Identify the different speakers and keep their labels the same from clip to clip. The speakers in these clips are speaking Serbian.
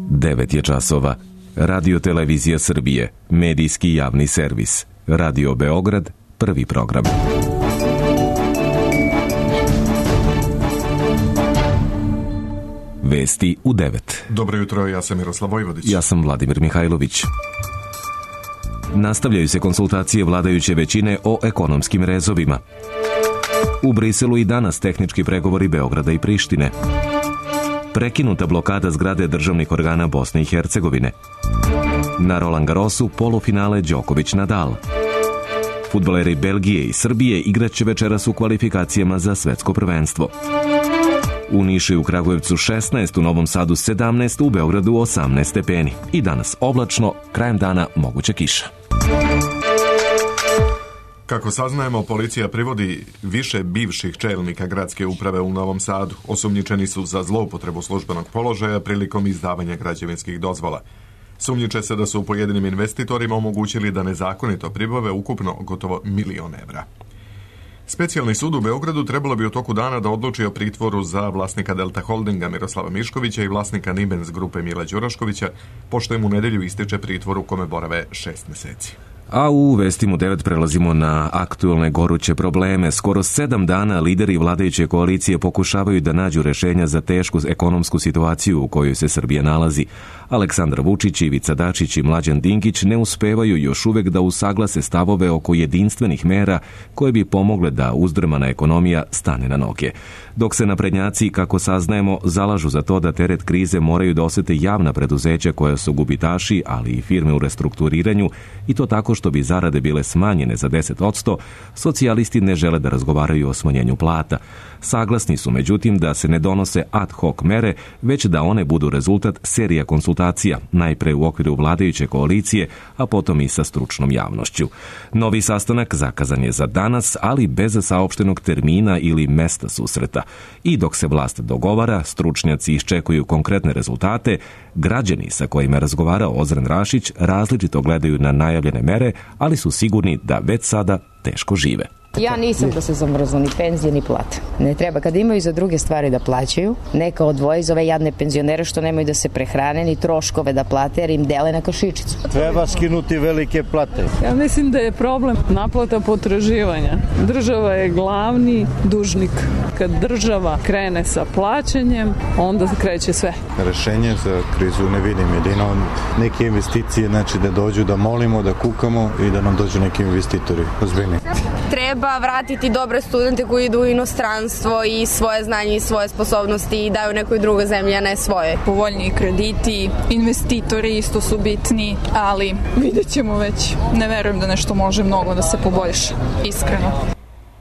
Speaker 1: 9 je časova. Radio Televizija Srbije, medijski javni servis. Radio Beograd, prvi program. Vesti u 9.
Speaker 2: Dobro jutro, ja sam Miroslav Vojvodić.
Speaker 1: Ja sam Vladimir Mihajlović. Nastavljaju se konsultacije vladajuće većine o ekonomskim rezovima. U Briselu i danas tehnički pregovori Beograda i Prištine. Prekinuta blokada zgrade državnih organa Bosne i Hercegovine. Na Roland Garrosu polufinale Đoković-Nadal. Fudbaleri Belgije i Srbije igraće večeras u kvalifikacijama za svetsko prvenstvo. U Nišu i u Kragujevcu 16, u Novom Sadu 17, u Beogradu 18 stepeni. I danas oblačno, krajem dana moguća kiša.
Speaker 2: Kako saznajemo, policija privodi više bivših čelnika gradske uprave u Novom Sadu. Osumnjičeni su za zloupotrebu službenog položaja prilikom izdavanja građevinskih dozvola. Sumnjiče se da su pojedinim investitorima omogućili da nezakonito pribave ukupno gotovo 1.000.000 evra. Specijalni sud u Beogradu trebalo bi u toku dana da odluči o pritvoru za vlasnika Delta Holdinga Miroslava Miškovića i vlasnika Nibens grupe Mila Đuraškovića, pošto im u nedelju ističe pritvor u kome borave 6 meseci.
Speaker 1: A u Vestima u 9 prelazimo na aktuelne goruće probleme. Skoro 7 dana lideri vladajuće koalicije pokušavaju da nađu rešenja za tešku ekonomsku situaciju u kojoj se Srbija nalazi. Aleksandar Vučić, Ivica Dačić i Mlađan Dinkić ne uspevaju još uvek da usaglase stavove oko jedinstvenih mera koje bi pomogle da uzdrmana ekonomija stane na noge. Dok se naprednjaci, kako saznajemo, zalažu za to da teret krize moraju da osete javna preduzeća koja su gubitaši, ali i firme u restrukturiranju, i to tako što bi zarade bile smanjene za 10%, socijalisti ne žele da razgovaraju o smanjenju plata. Saglasni su, međutim, da se ne donose ad hoc mere, već da one budu rezultat serija konsultacija, najpre u okviru vladajuće koalicije, a potom i sa stručnom javnošću. Novi sastanak zakazan je za danas, ali bez saopštenog termina ili mesta susreta. I dok se vlast dogovara, stručnjaci iščekuju konkretne rezultate, građani sa kojima je razgovarao Ozren Rašić različito gledaju na najavljene mere, ali su sigurni da već sada teško žive.
Speaker 3: Ja nisam da se zamrznu ni penzije ni plate. Ne treba. Kada imaju za druge stvari da plaćaju, neka odvoji za ove jadne penzionere što nemaju da se prehrane ni troškove da plate jer im dele na kašičicu.
Speaker 4: Treba skinuti velike plate.
Speaker 5: Ja mislim da je problem naplata potraživanja. Država je glavni dužnik. Kad država krene sa plaćanjem, onda kreće sve.
Speaker 4: Rešenje za krizu ne vidim. Jedino neke investicije, znači da dođu da molimo, da kukamo i da nam dođu neki investitori ozbiljni.
Speaker 6: Treba vratiti dobre studente koji idu u inostranstvo i svoje znanje i svoje sposobnosti i daju nekoj drugoj zemlji, a ne svoje.
Speaker 7: Povoljniji krediti, investitori isto su bitni, ali vidjet ćemo već. Ne verujem da nešto može mnogo da se poboljša, iskreno.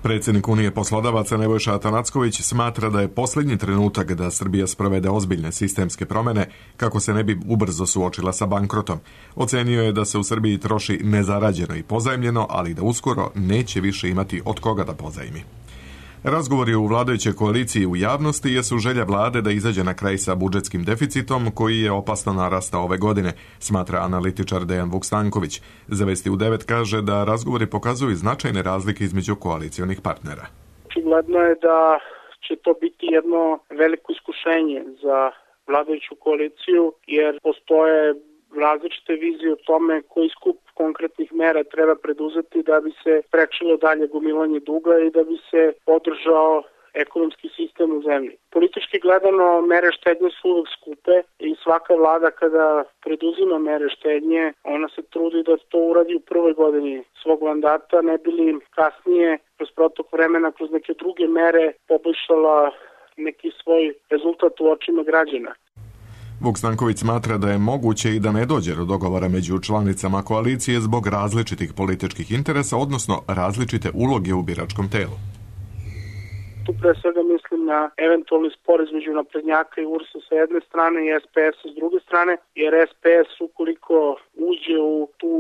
Speaker 2: Predsjednik Unije poslodavaca Nebojša Atanacković smatra da je posljednji trenutak da Srbija sprovede ozbiljne sistemske promjene kako se ne bi ubrzo suočila sa bankrotom. Ocenio je da se u Srbiji troši nezarađeno i pozajmljeno, ali da uskoro neće više imati od koga da pozajmi. Razgovori u vladajućoj koaliciji u javnosti jesu želja vlade da izađe na kraj sa budžetskim deficitom koji je opasno narastao ove godine, smatra analitičar Dejan Vukstanković. Za Vesti u 9 kaže da razgovori pokazuju značajne razlike između koalicionih partnera.
Speaker 8: Očigledno je da će to biti jedno veliko iskušenje za vladajuću koaliciju jer postoje različite vizije o tome koji skup konkretnih mera treba preduzeti da bi se sprečilo dalje gomilanje duga i da bi se održao ekonomski sistem u zemlji. Politički gledano, mere štednje su uvek skupe i svaka vlada kada preduzima mere štednje, ona se trudi da to uradi u prvoj godini svog mandata, ne bi li kasnije kroz protok vremena, kroz neke druge mere poboljšala neki svoj rezultat u očima građana.
Speaker 2: Vukstanković smatra da je moguće i da ne dođe do dogovora među članicama koalicije zbog različitih političkih interesa, odnosno različite uloge u biračkom telu.
Speaker 8: Tu pre svega mislim na eventualni spor između naprednjaka i URS-a sa jedne strane i SPS-a s druge strane, jer SPS ukoliko uđe u tu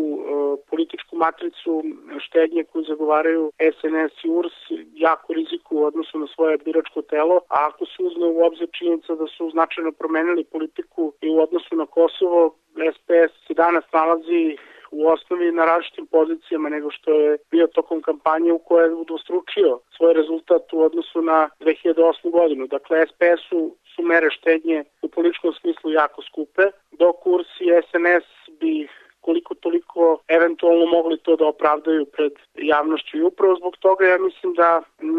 Speaker 8: političku matricu štednje koju zagovaraju SNS i URS, jako riziku u odnosu na svoje biračko telo, a ako se uzme u obzir činjenica da su značajno promenili politiku i u odnosu na Kosovo, SPS se danas nalazi u osnovi na različitim pozicijama nego što je bio tokom kampanje u kojoj je udvostručio svoj rezultat u odnosu na 2008. godinu. Dakle, SPS-u su mere štednje u političkom smislu jako skupe, dok kurs i SNS bi koliko toliko eventualno mogli to da opravdaju pred javnošću. I upravo zbog toga ja mislim da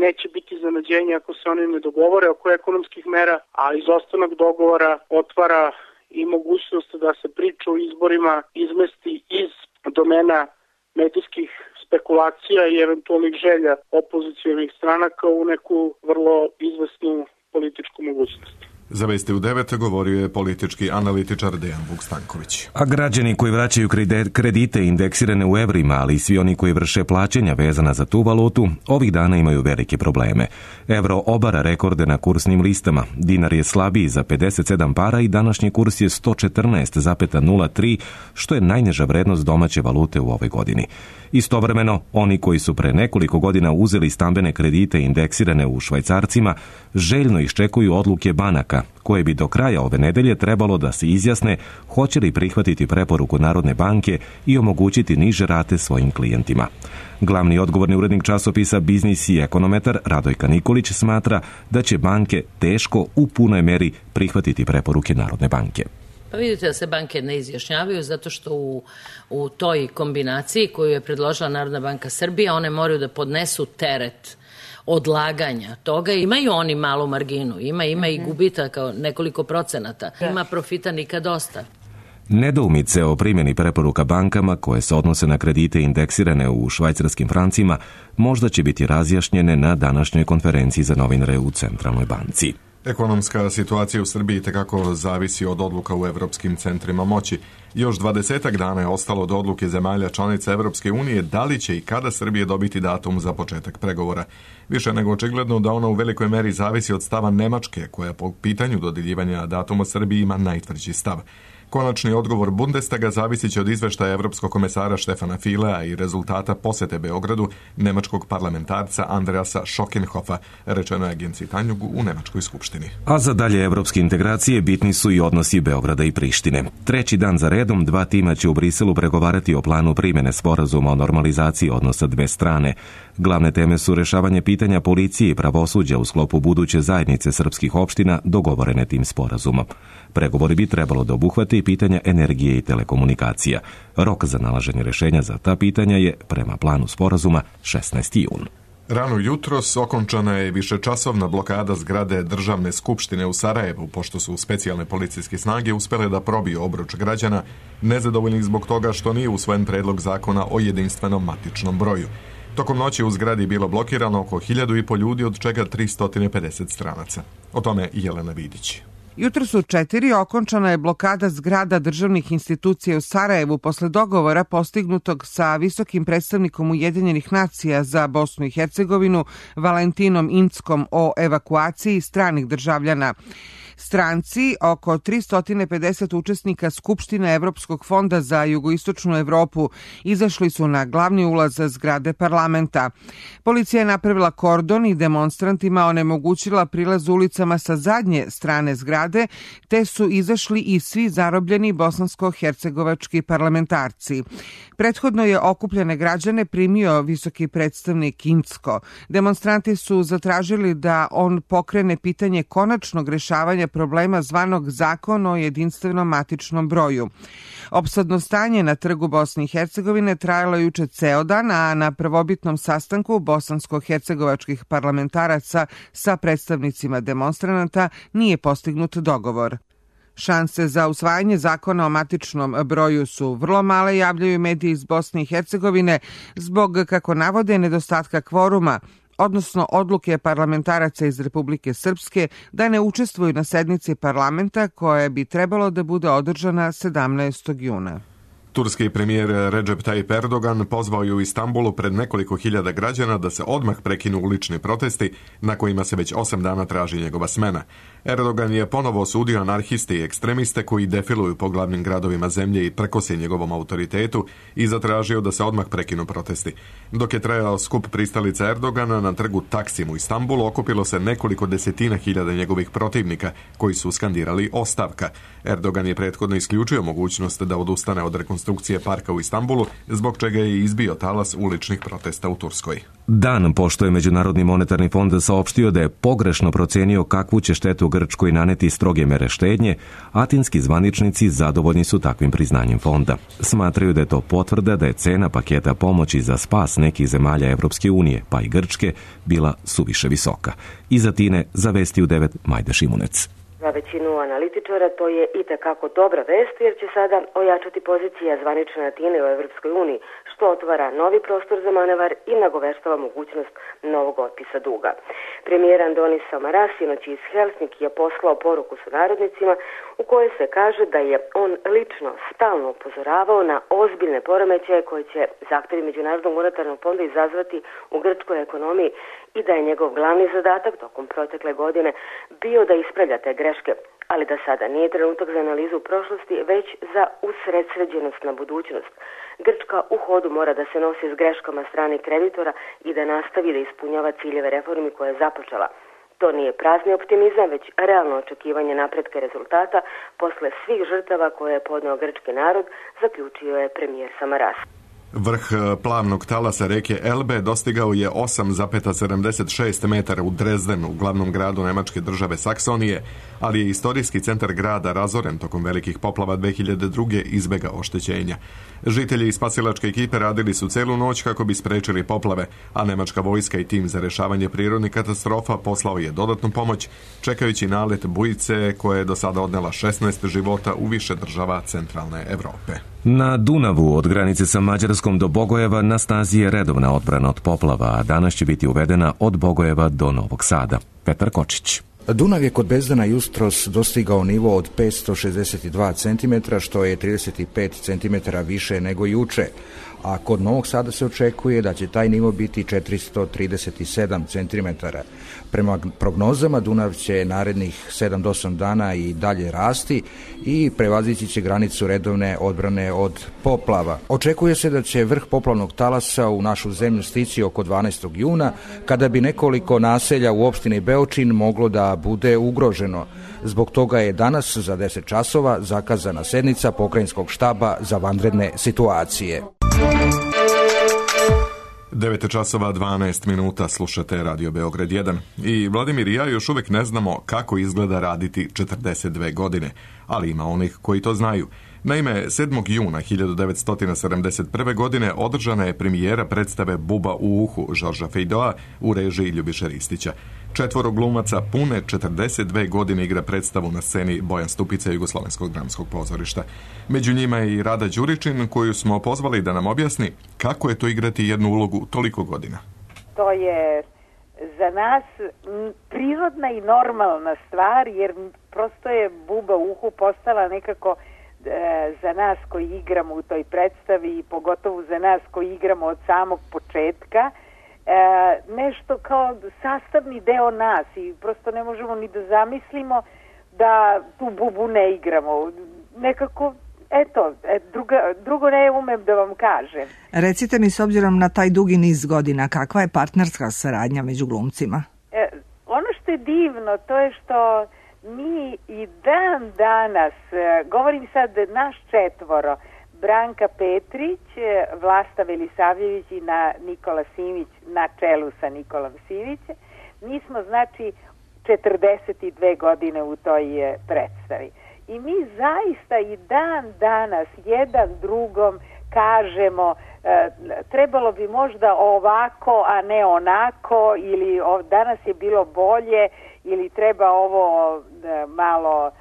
Speaker 8: neće biti iznenađenja ako se oni ne dogovore oko ekonomskih mera, a izostanak dogovora otvara i mogućnost da se priča o izborima izmesti iz domena medijskih spekulacija i eventualnih želja opozicionih stranaka u neku vrlo izvesnu političku mogućnost.
Speaker 2: Za Vesti u 9 govorio je politički analitičar Dejan Vukstanković.
Speaker 1: A građani koji vraćaju kredite indeksirane u evrima, ali i svi oni koji vrše plaćanja vezana za tu valutu, ovih dana imaju velike probleme. Evro obara rekorde na kursnim listama. Dinar je slabiji za 57 para i današnji kurs je 114,03, što je najniža vrednost domaće valute u ovoj godini. Istovremeno, oni koji su pre nekoliko godina uzeli stambene kredite indeksirane u švajcarcima, željno iščekuju odluke banaka, koje bi do kraja ove nedelje trebalo da se izjasne hoće li prihvatiti preporuku Narodne banke i omogućiti niže rate svojim klijentima. Glavni odgovorni urednik časopisa Biznis i ekonometar Radojka Nikolić smatra da će banke teško u punoj meri prihvatiti preporuke Narodne banke.
Speaker 9: Pa vidite da se banke ne izjašnjavaju zato što u toj kombinaciji koju je predložila Narodna banka Srbije, one moraju da podnesu teret odlaganja toga. Imaju oni malu marginu, ima i gubitaka nekoliko procenata, ima profita nikad dosta.
Speaker 1: Nedoumice o primjeni preporuka bankama koje se odnose na kredite indeksirane u švajcarskim francima možda će biti razjašnjene na današnjoj konferenciji za novinare u Centralnoj banci.
Speaker 2: Ekonomska situacija u Srbiji tekako zavisi od odluka u evropskim centrima moći. Još 20 dana je ostalo do odluke zemalja članica Evropske unije da li će i kada Srbije dobiti datum za početak pregovora. Više nego očigledno da ona u velikoj meri zavisi od stava Nemačke, koja po pitanju dodjeljivanja datuma Srbiji ima najtvrđi stav. Konačni odgovor Bundestaga zavisit će od izveštaja evropskog komesara Štefana Filea i rezultata posete Beogradu nemačkog parlamentarca Andreasa Schockenhofa, rečeno je agenciji Tanjug u Nemačkoj skupštini.
Speaker 1: A za dalje evropske integracije bitni su i odnosi Beograda i Prištine. Treći dan za redom dva tima će u Briselu pregovarati o planu primjene sporazuma o normalizaciji odnosa dve strane. Glavne teme su rešavanje pitanja policije i pravosuđa u sklopu buduće zajednice srpskih opština dogovorene tim sporazumom. Pregovori bi trebalo da obuhvate i pitanja energije i telekomunikacija. Rok za nalaženje rešenja za ta pitanja je, prema planu sporazuma, 16. jun.
Speaker 2: Rano jutros okončana je višečasovna blokada zgrade Državne skupštine u Sarajevu, pošto su specijalne policijske snage uspele da probiju obruč građana, nezadovoljnih zbog toga što nije usvojen predlog zakona o jedinstvenom matičnom broju. Tokom noći u zgradi bilo blokirano oko 1.500 ljudi, od čega 350 stranaca. O tome Jelena Vidić.
Speaker 10: Jutros u 4 okončana je blokada zgrada državnih institucija u Sarajevu posle dogovora postignutog sa visokim predstavnikom Ujedinjenih nacija za Bosnu i Hercegovinu Valentinom Inckom o evakuaciji stranih državljana. Stranci, oko 350 učesnika Skupštine Evropskog fonda za jugoistočnu Evropu, izašli su na glavni ulaz zgrade parlamenta. Policija je napravila kordon i demonstrantima onemogućila prilaz ulicama sa zadnje strane zgrade, te su izašli i svi zarobljeni bosansko-hercegovački parlamentarci. Prethodno je okupljene građane primio visoki predstavnik Incko. Demonstranti su zatražili da on pokrene pitanje konačnog rešavanja problema zvanog Zakon o jedinstvenom matičnom broju. Opsadno stanje na trgu Bosne i Hercegovine trajalo juče ceo dan, a na prvobitnom sastanku bosansko-hercegovačkih parlamentaraca sa predstavnicima demonstranata nije postignut dogovor. Šanse za usvajanje zakona o matičnom broju su vrlo male, javljaju mediji iz Bosne i Hercegovine, zbog, kako navode, nedostatka kvoruma, odnosno odluke parlamentaraca iz Republike Srpske da ne učestvuju na sednici parlamenta koja bi trebalo da bude održana 17. juna.
Speaker 2: Turski premijer Recep Tayyip Erdogan pozvao je u Istanbulu pred nekoliko hiljada građana da se odmah prekinu ulični protesti na kojima se već 8 dana traži njegova smena. Erdogan je ponovo osudio anarhiste i ekstremiste koji defiluju po glavnim gradovima zemlje i prkose njegovom autoritetu i zatražio da se odmah prekinu protesti. Dok je trajao skup pristalica Erdogana na trgu Taksim u Istanbulu, okupilo se nekoliko desetina hiljada njegovih protivnika koji su skandirali ostavka. Erdogan je prethodno isključio mogućnost da odustane od rekonstrukcije rekonstrukcije parka u Istanbulu, zbog čega je izbio talas uličnih protesta u Turskoj.
Speaker 1: Dan pošto je Međunarodni monetarni fond saopštio da je pogrešno procenio kakvu će štetu Grčkoj naneti stroge mere štednje, atinski zvaničnici zadovoljni su takvim priznanjem fonda. Smatraju da je to potvrda da je cena paketa pomoći za spas nekih zemalja Evropske unije, pa i Grčke, bila suviše visoka. Iz Atine za Vesti u 9 Majda Šimunec.
Speaker 11: Za većinu analitičara to je itekako dobra vest jer će sada ojačati pozicija zvanične Atine u Evropskoj uniji, što otvara novi prostor za manevar i nagoveštava mogućnost novog otpisa duga. Premijer Andonis Samaras sinoć iz Helsinkija poslao poruku sunarodnicima u kojoj se kaže da je on lično stalno upozoravao na ozbiljne poremećaje koje će zahtevi Međunarodnog monetarnog fonda izazvati u grčkoj ekonomiji i da je njegov glavni zadatak tokom protekle godine bio da ispravlja te greške, ali da sada nije trenutak za analizu prošlosti, već za usredsređenost na budućnost. Grčka u hodu mora da se nosi s greškama strane kreditora i da nastavi da ispunjava ciljeve reformi koje je započela. To nije prazni optimizam, već realno očekivanje napretka rezultata posle svih žrtava koje je podneo grčki narod, zaključio je premijer Samaras.
Speaker 2: Vrh plavnog talasa reke Elbe dostigao je 8,76 metara u Drezdenu, u glavnom gradu nemačke države Saksonije, ali je istorijski centar grada razoren tokom velikih poplava 2002. izbega oštećenja. Žitelji i spasilačke ekipe radili su celu noć kako bi sprečili poplave, a nemačka vojska i tim za rešavanje prirodnih katastrofa poslao je dodatnu pomoć, čekajući nalet bujice koja je do sada odnela 16 života u više država centralne Evrope.
Speaker 1: Na Dunavu od granice sa Mađarskom do Bogojeva na snazi je redovna odbrana od poplava, a danas će biti uvedena od Bogojeva do Novog Sada. Petar Kočić.
Speaker 12: Dunav je kod Bezdana jutros dostigao nivo od 562 cm, što je 35 cm više nego juče, a kod Novog Sada se očekuje da će taj nivo biti 437 cm. Prema prognozama Dunav će narednih 7 do 8 dana i dalje rasti i prevazići će granicu redovne odbrane od poplava. Očekuje se da će vrh poplavnog talasa u našu zemlju stići oko 12. juna, kada bi nekoliko naselja u opštini Beočin moglo da bude ugroženo. Zbog toga je danas za 10 časova zakazana sednica pokrajinskog štaba za vanredne situacije.
Speaker 2: 9 časova 12 minuta slušate Radio Beograd 1 i Vladimir i ja još uvijek ne znamo kako izgleda raditi 42 godine, ali ima onih koji to znaju. Naime, 7. juna 1971. godine održana je premijera predstave Buba u uhu Žorža Fejdoa u režiji Ljubiše Ristića. 4 glumaca pune 42 godine igra predstavu na sceni Bojan Stupica Jugoslovenskog dramskog pozorišta. Među njima je i Rada Đuričin, koju smo pozvali da nam objasni kako je to igrati jednu ulogu toliko godina.
Speaker 13: To je za nas prirodna i normalna stvar, jer prosto je Buba u uhu postala nekako za nas koji igramo u toj predstavi i pogotovo za nas koji igramo od samog početka, nešto kao sastavni deo nas i prosto ne možemo ni da zamislimo da tu Bubu ne igramo. Nekako, drugo ne umem da vam kažem.
Speaker 14: Recite mi, s obzirom na taj dugi niz godina, kakva je partnerska saradnja među glumcima?
Speaker 13: Ono što je divno, to je što mi i dan danas, govorim sad naš 4, Branka Petrić, Vlasta Velisavljević i Nikola Simić na čelu sa Nikolom Simićem, mi smo znači 42 godine u toj predstavi. I mi zaista i dan danas jedan drugom kažemo trebalo bi možda ovako, a ne onako, ili danas je bilo bolje, ili treba ovo malo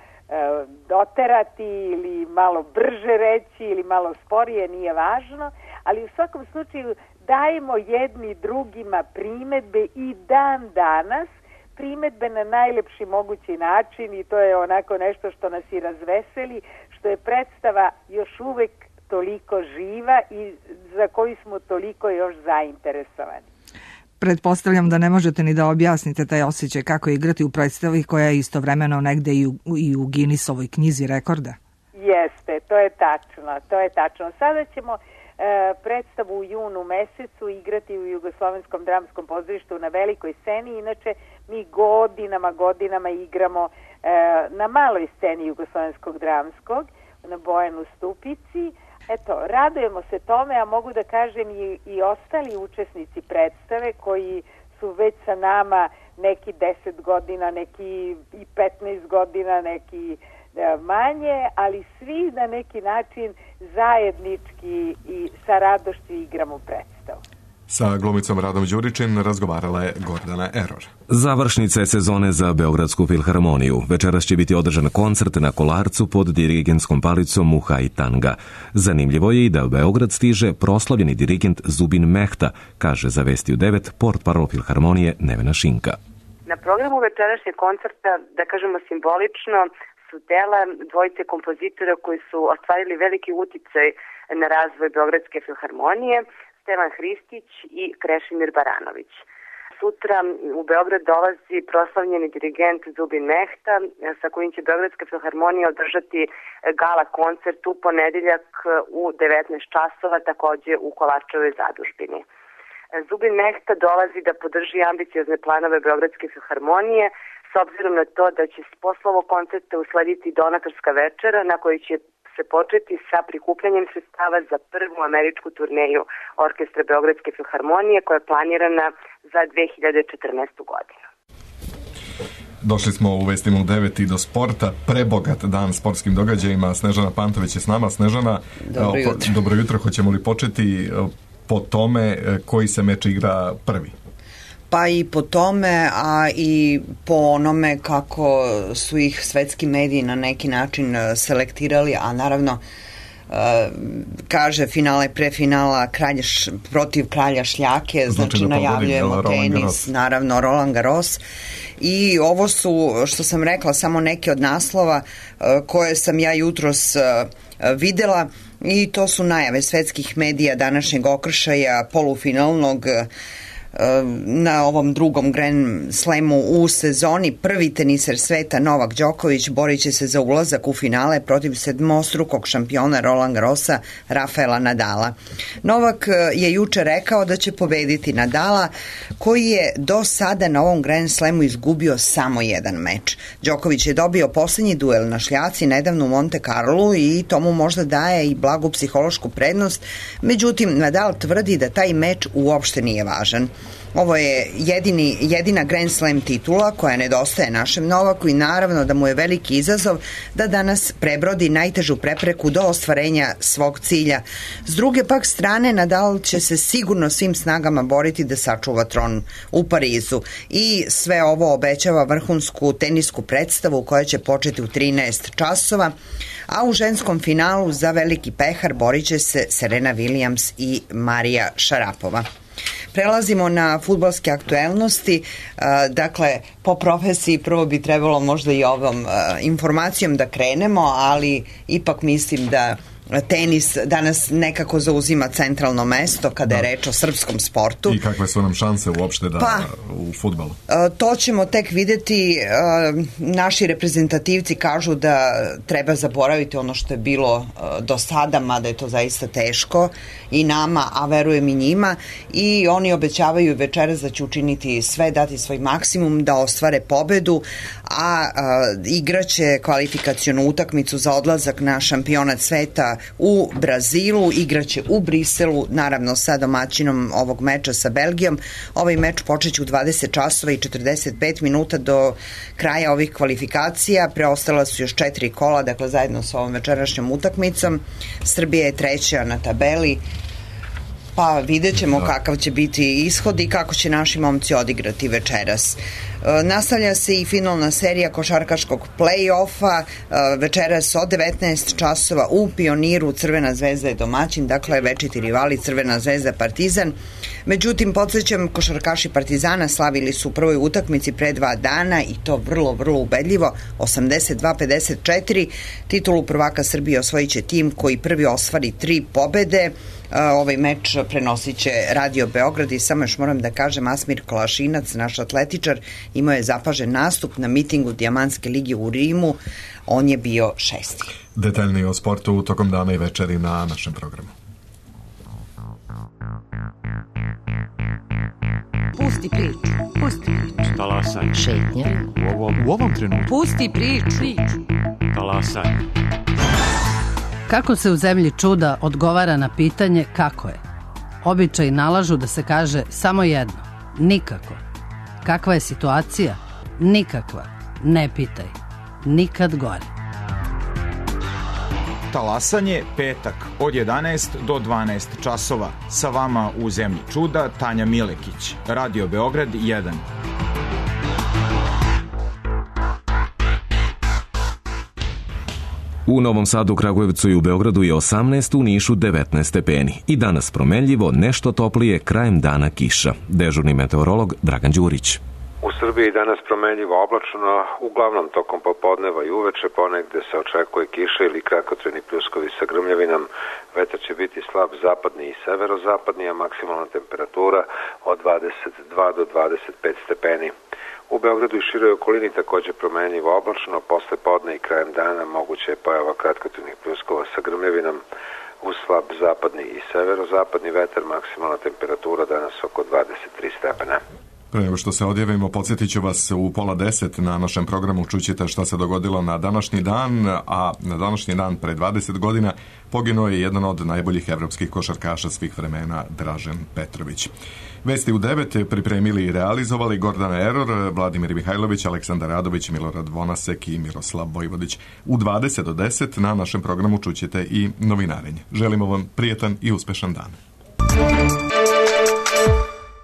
Speaker 13: doterati ili malo brže reći ili malo sporije, nije važno, ali u svakom slučaju dajemo jedni drugima primedbe i dan danas, primedbe na najlepši mogući način i to je onako nešto što nas i razveseli, što je predstava još uvek toliko živa i za koju smo toliko još zainteresovani.
Speaker 14: Pretpostavljam da ne možete ni da objasnite taj osjećaj kako igrati u predstavi koja je istovremeno negde i u Guinnessovoj knjizi rekorda.
Speaker 13: Jeste, to je tačno. Sada ćemo predstavu u junu mesecu igrati u Jugoslovenskom dramskom pozorištu na velikoj sceni. Inače, mi godinama igramo na maloj sceni Jugoslovenskog dramskog, na Bojanu Stupici, Eto, radujemo se tome, a mogu da kažem i ostali učesnici predstave koji su već sa nama neki 10 godina, neki i 15 godina, neki manje, ali svi na neki način zajednički i sa radošću igramo predstavu.
Speaker 2: Sa glumicom Radom Đuričin razgovarala je Gordana Eror.
Speaker 1: Završnica je sezone za Beogradsku filharmoniju. Večeras će biti održan koncert na Kolarcu pod dirigentskom palicom Muhaj Tanga. Zanimljivo je i da u Beograd stiže proslavljeni dirigent Zubin Mehta, kaže za Vesti u 9 portparol filharmonije Nevena Šinka.
Speaker 11: Na programu večerašnjeg koncerta, da kažemo simbolično, su dela dvojice kompozitora koji su ostvarili veliki uticaj na razvoj Beogradske filharmonije, Stevan Hristić i Krešimir Baranović. Sutra u Beograd dolazi proslavljeni dirigent Zubin Mehta, sa kojim će Beogradska filharmonija održati gala koncert u ponedeljak u 19 časova, takođe u Kolarčevoj zadužbini. Zubin Mehta dolazi da podrži ambiciozne planove Beogradske filharmonije, s obzirom na to da će posle ovog koncerta uslediti donatorska večera na kojoj će se početi sa prikupljanjem sredstava za prvu američku turneju Orkestra Beogradske filharmonije koja je planirana za 2014. godinu.
Speaker 2: Došli smo u Vestima u 9 i do sporta. Prebogat dan sportskim događajima. Snežana Pantović je s nama. Snežana, dobro jutro. Hoćemo li početi po tome koji se meč igra prvi?
Speaker 15: Pa i po tome, a i po onome kako su ih svetski mediji na neki način selektirali, a naravno kaže finale prefinala protiv kralja šljake, znači najavljujemo tenis, naravno Roland Garros. I ovo su, što sam rekla, samo neke od naslova koje sam ja jutros videla, i to su najave svetskih medija današnjeg okršaja polufinalnog na ovom drugom Grand Slamu u sezoni. Prvi teniser sveta Novak Đoković borit će se za ulazak u finale protiv sedmostrukog šampiona Roland Garrosa Rafaela Nadala. Novak je juče rekao da će pobediti Nadala, koji je do sada na ovom Grand Slamu izgubio samo jedan meč. Đoković je dobio poslednji duel na šljaci nedavno u Monte Carlu i to mu možda daje i blagu psihološku prednost, međutim Nadal tvrdi da taj meč uopšte nije važan. Ovo je jedina Grand Slam titula koja nedostaje našem Novaku i naravno da mu je veliki izazov da danas prebrodi najtežu prepreku do ostvarenja svog cilja. S druge pak strane, Nadal će se sigurno svim snagama boriti da sačuva tron u Parizu i sve ovo obećava vrhunsku tenisku predstavu koja će početi u 13 časova, a u ženskom finalu za veliki pehar borit će se Serena Williams i Marija Šarapova. Prelazimo na fudbalske aktuelnosti. Dakle, po profesiji prvo bi trebalo možda i ovom informacijom da krenemo, ali ipak mislim da tenis danas nekako zauzima centralno mesto kada je reč o srpskom sportu.
Speaker 2: I kakve su nam šanse uopšte u fudbalu?
Speaker 15: To ćemo tek videti. Naši reprezentativci kažu da treba zaboraviti ono što je bilo do sada, mada je to zaista teško i nama, a verujem i njima, i oni obećavaju večeras da će učiniti sve, dati svoj maksimum da ostvare pobedu, a igraće kvalifikacionu utakmicu za odlazak na šampionat sveta u Brazilu, igraće u Briselu, naravno sa domaćinom ovog meča sa Belgijom. Ovaj meč počeće u 20 časova i 45 minuta do kraja ovih kvalifikacija. Preostala su još 4 kola, dakle zajedno sa ovom večerašnjom utakmicom. Srbija je treća na tabeli, pa vidjet ćemo kakav će biti ishod i kako će naši momci odigrati večeras. Nastavlja se i finalna serija košarkaškog play-offa. Večeras od 19 časova u Pioniru Crvena zvezda je domaćin, dakle večiti rivali Crvena zvezda Partizan. Međutim, podsjećam, košarkaši Partizana slavili su u prvoj utakmici pre 2 dana i to vrlo, vrlo ubedljivo, 82-54. Titulu prvaka Srbije osvojit će tim koji prvi ostvari 3 pobede. Ovaj meč prenosit će Radio Beograd i samo još moram da kažem, Asmir Kolašinac, naš atletičar, imao je zapažen nastup na mitingu Dijamantske lige u Rimu. On je bio 6.
Speaker 2: Detaljnije o sportu tokom dana i večeri na našem programu.
Speaker 16: Pusti priču. Pusti priču. Talasaj. Šetnja. U ovom trenutku. Pusti priču. Talasaj.
Speaker 17: Kako se u zemlji čuda odgovara na pitanje kako je? Običaji nalažu da se kaže samo jedno, nikako. Kakva je situacija? Nikakva. Ne pitaj. Nikad gore.
Speaker 18: Talasanje, petak, od 11 do 12 časova. Sa vama u Zemlji čuda, Tanja Milekić. Radio Beograd 1.
Speaker 1: U Novom Sadu, Kragujevcu i u Beogradu je 18, u Nišu 19 stepeni. I danas promenljivo, nešto toplije, krajem dana kiša. Dežurni meteorolog Dragan Đurić.
Speaker 19: U Srbiji danas promenljivo oblačno, uglavnom tokom popodneva i uveče, ponegde se očekuje kiša ili kratkotrajni pljuskovi sa grmljavinom. Vetar će biti slab zapadni i severozapadni, a maksimalna temperatura od 22 do 25 stepeni. U Beogradu i široj okolini takođe promenljivo oblačno, posle podne i krajem dana moguće je pojava kratkotrajnih pljuskova sa grmljavinom. Uz slab zapadni i severozapadni vetar, maksimalna temperatura danas oko 23 stepena.
Speaker 2: Pre nego što se odjavimo, podsjetit ću vas u 9:30 na našem programu čućete šta se dogodilo na današnji dan, a na današnji dan pre 20 godina poginuo je jedan od najboljih evropskih košarkaša svih vremena, Dražen Petrović. Vesti u 9 pripremili i realizovali Gordana Eror, Vladimir Mihajlović, Aleksandar Radović, Milorad Vonasek i Miroslav Vojvodić. U 20 do 10 na našem programu čućete i novinarenje. Želimo vam prijetan i uspešan dan.